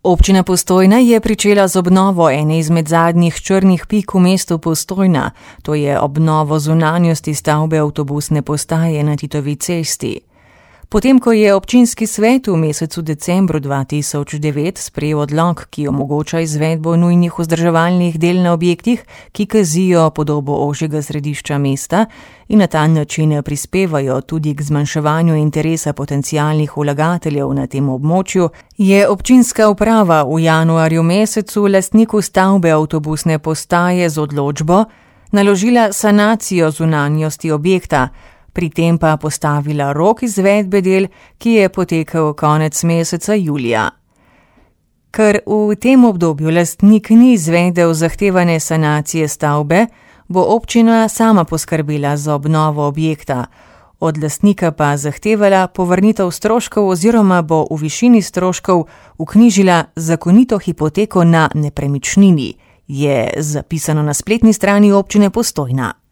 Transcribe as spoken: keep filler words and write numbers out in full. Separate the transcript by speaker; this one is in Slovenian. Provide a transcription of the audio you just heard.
Speaker 1: Občina Postojna je pričela z obnovo ene izmed zadnjih črnih pik v mestu Postojna, to je obnovo zunanjosti stavbe avtobusne postaje na Titovi cesti. Potem, ko je občinski svet v mesecu decembru dva tisoč devet sprejel odlok, ki omogoča izvedbo nujnih vzdrževalnih del na objektih, ki kazijo podobo ožjega središča mesta in na ta način prispevajo tudi k zmanjševanju interesa potencialnih vlagateljev na tem območju, je občinska uprava v januarju mesecu lastniku stavbe avtobusne postaje z odločbo naložila sanacijo zunanjosti objekta, pri tem pa postavila rok izvedbe del, ki je potekel konec meseca julija. Ker v tem obdobju lastnik ni izvedel zahtevane sanacije stavbe, bo občina sama poskrbela za obnovo objekta, od lastnika pa zahtevala povrnitev stroškov oziroma bo v višini stroškov vknjižila zakonito hipoteko na nepremičnini, je zapisano na spletni strani občine Postojna.